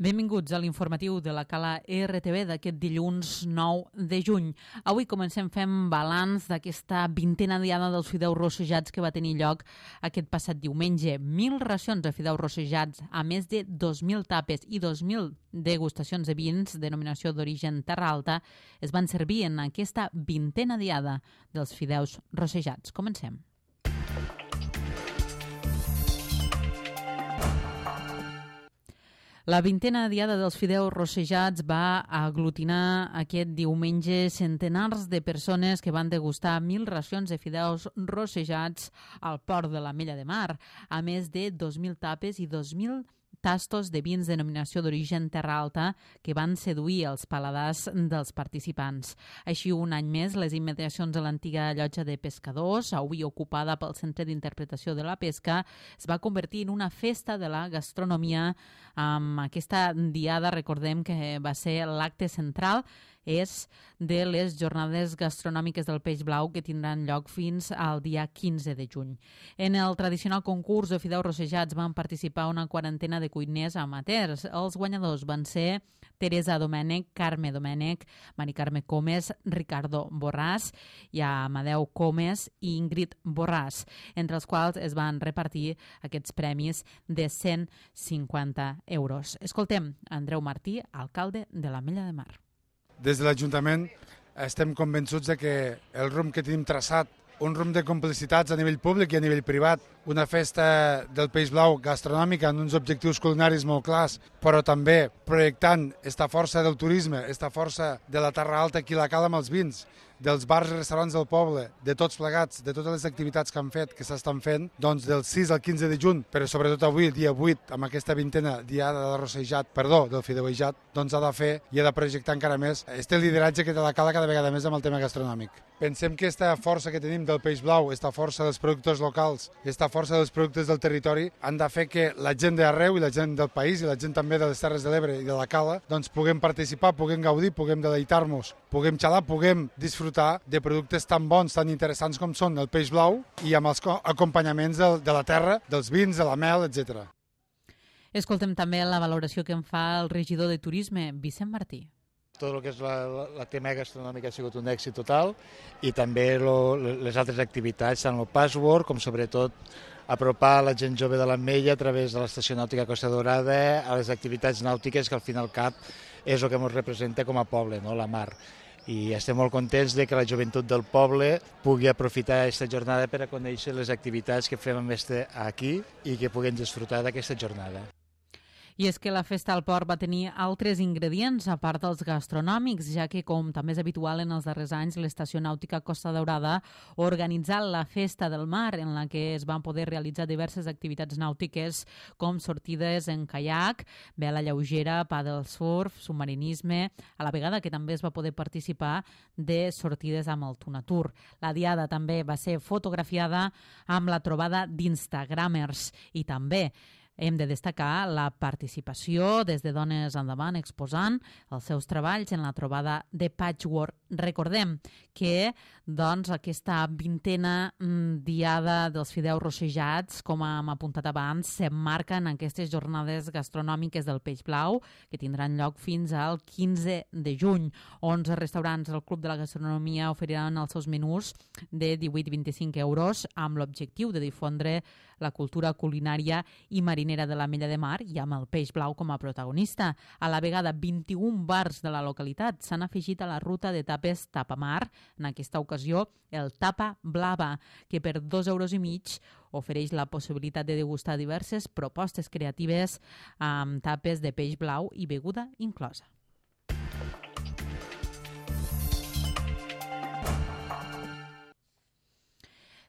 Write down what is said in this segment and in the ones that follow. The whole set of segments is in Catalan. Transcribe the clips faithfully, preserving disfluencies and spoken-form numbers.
Benvinguts a l'informatiu de la Cala R T V d'aquest dilluns nou de juny. Avui comencem fent balanç d'aquesta vintena diada dels fideus rossejats que va tenir lloc aquest passat diumenge. Mil racions de fideus rossejats a més de dos mil tapes i dos mil degustacions de vins denominació d'origen Terra Alta es van servir en aquesta vintena diada dels fideus rossejats. Comencem. La vintena diada dels fideus rossejats va aglutinar aquest diumenge centenars de persones que van degustar mil racions de fideus rossejats al port de l'Ametlla de Mar, a més de dos mil tapes i dos mil tastos de vins denominació d'origen Terra Alta que van seduir els paladars dels participants. Així, un any més, les immediacions de l'antiga llotja de pescadors, avui ocupada pel Centre d'Interpretació de la Pesca, es va convertir en una festa de la gastronomia. Amb aquesta diada, recordem que va ser l'acte central, és de les jornades gastronòmiques del Peix Blau que tindran lloc fins al dia quinze de juny. En el tradicional concurs de fideus rossejats van participar una quarantena de cuiners amateurs. Els guanyadors van ser Teresa Domènech, Carme Domènech, Mari Carme Comes, Ricardo Borràs i Amadeu Comes i Ingrid Borràs, entre els quals es van repartir aquests premis de cent cinquanta euros. Escoltem Andreu Martí, alcalde de l'Ametlla de Mar. Des de l'Ajuntament estem convençuts de que el rumb que tenim traçat, un rumb de complicitats a nivell públic i a nivell privat, una festa del Peix Blau gastronòmica amb uns objectius culinaris molt clars, però també projectant esta força del turisme, esta força de la Terra Alta aquí a la Cala amb els vins, dels bars i restaurants del poble, de tots plegats, de totes les activitats que han fet, que s'estan fent, doncs del sis al quinze de juny, però sobretot avui, dia vuit, amb aquesta vintena diada de rossejat, perdó, del fideuejat, doncs ha de fer i ha de projectar encara més este lideratge que té la Cala cada vegada més amb el tema gastronòmic. Pensem que aquesta força que tenim del Peix Blau, aquesta força dels productors locals, aquesta força dels productes del territori, han de fer que la gent d'arreu i la gent del país i la gent també de les Terres de l'Ebre i de la Cala, doncs puguem participar, puguem gaudir, puguem deleitar-nos, puguem xalar, puguem disfrutar de productes tan bons, tan interessants com són el peix blau i amb els acompanyaments de, de la terra, dels vins, de la mel, etcètera. Escoltem també la valoració que en fa el regidor de Turisme, Vicent Martí. Tot el que és la, la tema gastronòmica ha sigut un èxit total i també lo, les altres activitats, tant el password com sobretot apropar la gent jove de l'Ametlla a través de l'estació nàutica Costa Daurada a les activitats nàutiques que al fin i al cap és el que ens representa com a poble, no? La mar. I estem molt contents de que la joventut del poble pugui aprofitar aquesta jornada per a conèixer les activitats que fem aquí i que puguem disfrutar d'aquesta jornada. I és que la festa al port va tenir altres ingredients, a part dels gastronòmics, ja que, com també és habitual en els darrers anys, l'Estació Nàutica Costa Daurada ha organitzat la Festa del Mar, en la que es van poder realitzar diverses activitats nàutiques, com sortides en caiac, vela lleugera, paddle surf, submarinisme, a la vegada que també es va poder participar de sortides amb el Tunatur. La diada també va ser fotografiada amb la trobada d'Instagramers i també hem de destacar la participació des de Dones Endavant exposant els seus treballs en la trobada de Patchwork. Recordem que doncs, aquesta vintena diada dels fideus rossejats, com hem apuntat abans, s'emmarca en aquestes jornades gastronòmiques del Peix Blau, que tindran lloc fins al quinze de juny. onze restaurants del Club de la Gastronomia oferiran els seus menús de divuit a vint-i-cinc euros amb l'objectiu de difondre la cultura culinària i marinera de l'Ametlla de Mar i amb el Peix Blau com a protagonista. A la vegada, vint-i-un bars de la localitat s'han afegit a la ruta de tapes Tapamar, en aquesta ocasió el Tapa Blava, que per dos euros i mig ofereix la possibilitat de degustar diverses propostes creatives amb tapes de peix blau i beguda inclosa.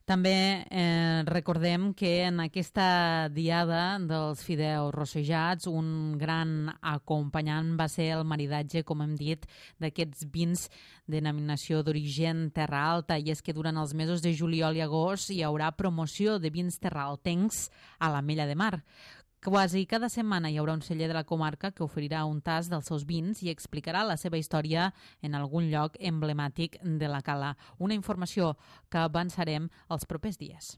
També eh, recordem que en aquesta diada dels fideus rossejats un gran acompanyant va ser el maridatge, com hem dit, d'aquests vins de denominació d'origen Terra Alta, i és que durant els mesos de juliol i agost hi haurà promoció de vins terraaltencs a l'Ametlla de Mar. Quasi cada setmana hi haurà un celler de la comarca que oferirà un tast dels seus vins i explicarà la seva història en algun lloc emblemàtic de la cala. Una informació que avançarem els propers dies.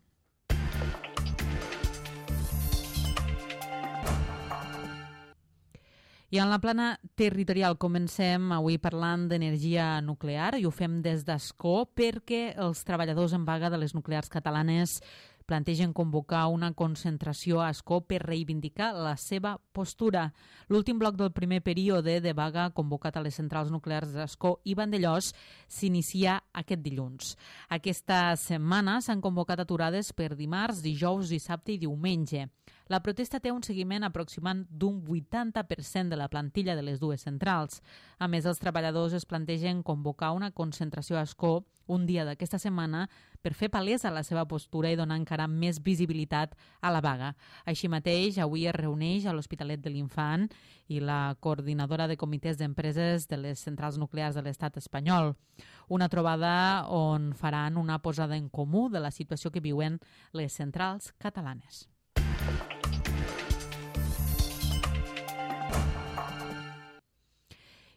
I en la plana territorial comencem avui parlant d'energia nuclear i ho fem des d'Ascó perquè els treballadors en vaga de les nuclears catalanes plantegen convocar una concentració a Ascó per reivindicar la seva postura. L'últim bloc del primer període de vaga convocat a les centrals nuclears d'Ascó i Vandellòs s'inicia aquest dilluns. Aquesta setmana s'han convocat aturades per dimarts, dijous, dissabte i diumenge. La protesta té un seguiment aproximant d'un vuitanta per cent de la plantilla de les dues centrals. A més, els treballadors es plantegen convocar una concentració a Ascó un dia d'aquesta setmana per fer palesa la seva postura i donar encara més visibilitat a la vaga. Així mateix, avui es reuneix a l'Hospitalet de l'Infant i la coordinadora de comitès d'empreses de les centrals nuclears de l'estat espanyol. Una trobada on faran una posada en comú de la situació que viuen les centrals catalanes.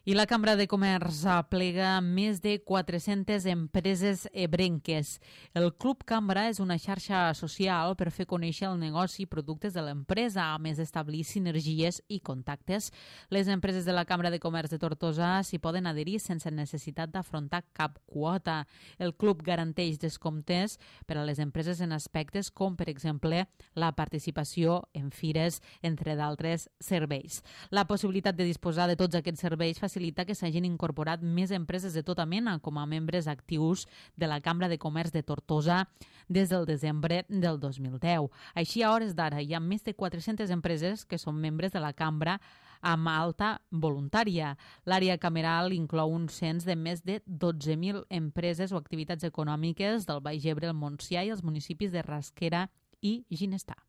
I la Cambra de Comerç aplega més de quatre-centes empreses ebrenques. El Club Cambra és una xarxa social per fer conèixer el negoci i productes de l'empresa, a més d'establir sinergies i contactes. Les empreses de la Cambra de Comerç de Tortosa s'hi poden adherir sense necessitat d'afrontar cap quota. El club garanteix descomptes per a les empreses en aspectes com, per exemple, la participació en fires, entre d'altres serveis. La possibilitat de disposar de tots aquests serveis facilita que s'hagin incorporat més empreses de tota mena com a membres actius de la Cambra de Comerç de Tortosa des del desembre del dos mil deu. Així, a hores d'ara, hi ha més de quatre-centes empreses que són membres de la Cambra amb alta voluntària. L'àrea cameral inclou un cens de més de dotze mil empreses o activitats econòmiques del Baix Ebre, el Montsià i els municipis de Rasquera i Ginestar.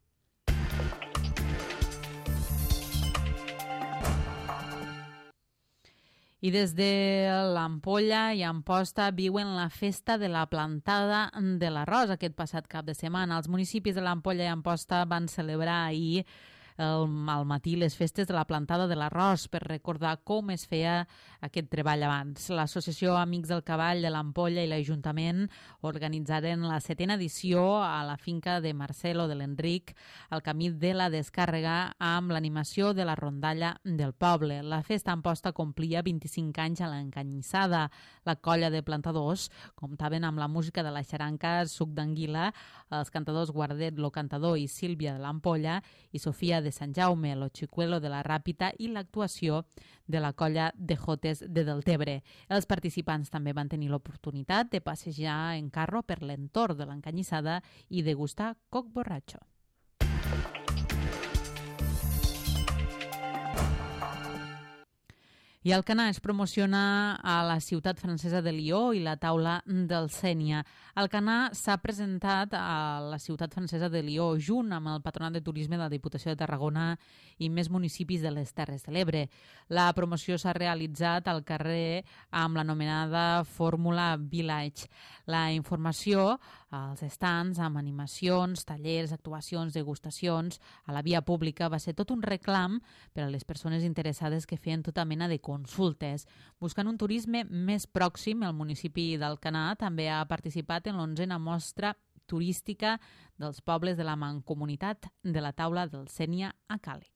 I des de l'Ampolla i Amposta viuen la festa de la plantada de l'arròs aquest passat cap de setmana. Els municipis de l'Ampolla i Amposta van celebrar ahir al matí les festes de la plantada de l'arròs per recordar com es feia aquest treball abans. L'Associació Amics del Cavall de l'Ampolla i l'Ajuntament organitzaren la setena edició a la finca de Marcelo de l'Enric al camí de la Descàrrega amb l'animació de la rondalla del poble. La festa Amposta complia vint-i-cinc anys a l'Encanyissada. La colla de plantadors comptaven amb la música de la xaranca Suc d'Anguila, els cantadors Guardet, lo cantador i Sílvia de l'Ampolla i Sofia de de Sant Jaume, lo Xicuelo de la Ràpita i l'actuació de la colla de Jotes de Deltebre. Els participants també van tenir l'oportunitat de passejar en carro per l'entorn de l'Encanyissada i degustar coc borratxo. I Alcanar es promociona a la ciutat francesa de Lió i la taula del Sénia. Alcanar s'ha presentat a la ciutat francesa de Lió junt amb el Patronat de Turisme de la Diputació de Tarragona i més municipis de les Terres de l'Ebre. La promoció s'ha realitzat al carrer amb l'anomenada Fórmula Village. La informació als estants amb animacions, tallers, actuacions, degustacions a la via pública va ser tot un reclam per a les persones interessades que feien tota mena de consultes. Buscant un turisme més pròxim, el municipi d'Alcanar també ha participat en l'onzena mostra turística dels pobles de la Mancomunitat de la Taula del Sénia a Càlig.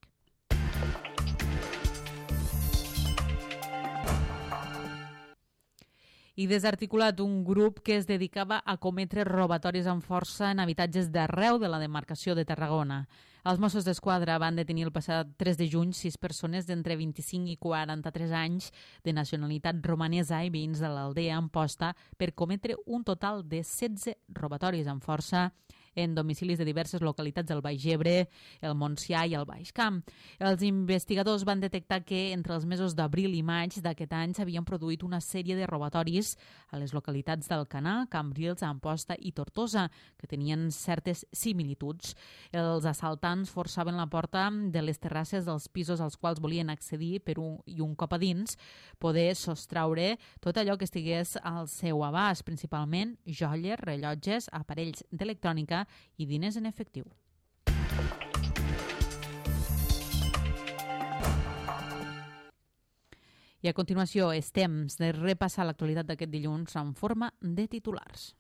I desarticulat un grup que es dedicava a cometre robatoris amb força en habitatges d'arreu de la demarcació de Tarragona. Els Mossos d'Esquadra van detenir el passat tres de juny sis persones d'entre vint-i-cinc i quaranta-tres anys de nacionalitat romanesa i veïns de l'aldea Amposta per cometre un total de setze robatoris amb força en domicilis de diverses localitats del Baix Ebre, el Montsià i el Baix Camp. Els investigadors van detectar que entre els mesos d'abril i maig d'aquest any s'havien produït una sèrie de robatoris a les localitats d'Alcanar, Cambrils, Amposta i Tortosa, que tenien certes similituds. Els assaltants forçaven la porta de les terrasses dels pisos als quals volien accedir per un, i un cop a dins poder sostraure tot allò que estigués al seu abast, principalment joies, rellotges, aparells d'electrònica i diners en efectiu. I a continuació és temps de repassar l'actualitat d'aquest dilluns en forma de titulars.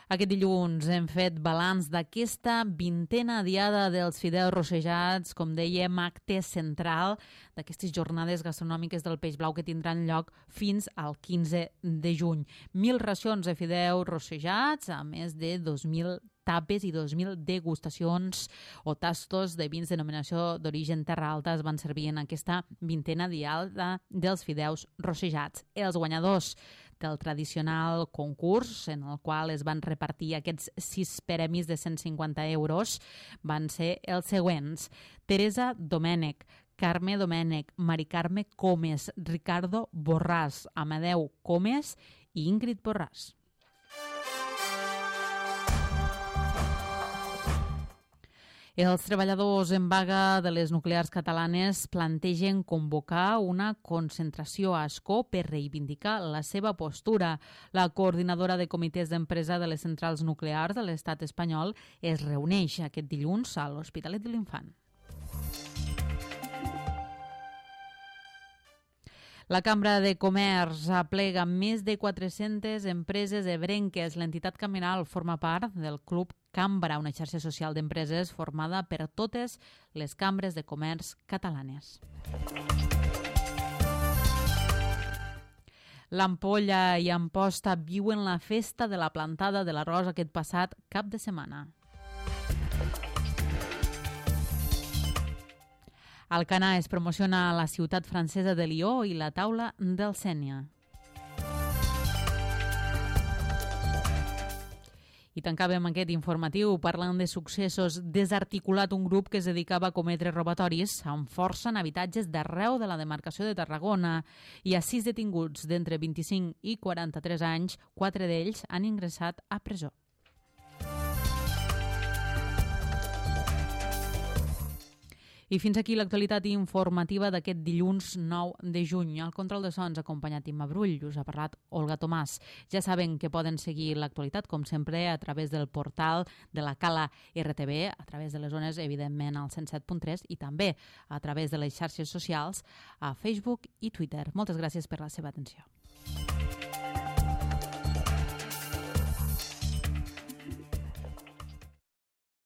Aquest dilluns hem fet balanç d'aquesta vintena diada dels fideus rossejats, com dèiem, acte central d'aquestes jornades gastronòmiques del Peix Blau que tindran lloc fins al quinze de juny. Mil racions de fideus rossejats, a més de dos mil tapes i dos mil degustacions o tastos de vins de denominació d'origen Terra Alta es van servir en aquesta vintena diada dels fideus rossejats. Els guanyadors del tradicional concurs, en el qual es van repartir aquests sis premis de cent cinquanta euros, van ser els següents: Teresa Domènech, Carme Domènech, Mari Carme Comes, Ricardo Borràs, Amadeu Comes i Ingrid Borràs. Els treballadors en vaga de les nuclears catalanes plantegen convocar una concentració a Ascó per reivindicar la seva postura. La coordinadora de comitès d'empresa de les centrals nuclears de l'estat espanyol es reuneix aquest dilluns a l'Hospitalet de l'Infant. La Cambra de Comerç aplega més de quatre-centes empreses ebrenques. L'entitat cameral forma part del Club Cambra, una xarxa social d'empreses formada per totes les cambres de comerç catalanes. L'Ampolla i Amposta viuen la festa de la plantada de l'arròs aquest passat cap de setmana. Alcanar es promociona a la ciutat francesa de Lió i la taula del Sènia. I tancàvem aquest informatiu parlant de successos. Desarticulat un grup que es dedicava a cometre robatoris amb força en habitatges d'arreu de la demarcació de Tarragona. Hi ha sis detinguts d'entre vint-i-cinc i quaranta-tres anys, quatre d'ells han ingressat a presó. I fins aquí l'actualitat informativa d'aquest dilluns nou de juny. Al control de sons acompanyat Imma Brull, us ha parlat Olga Tomàs. Ja saben que poden seguir l'actualitat, com sempre, a través del portal de la Cala R T V, a través de les zones, evidentment, al cent set punt tres i també a través de les xarxes socials, a Facebook i Twitter. Moltes gràcies per la seva atenció.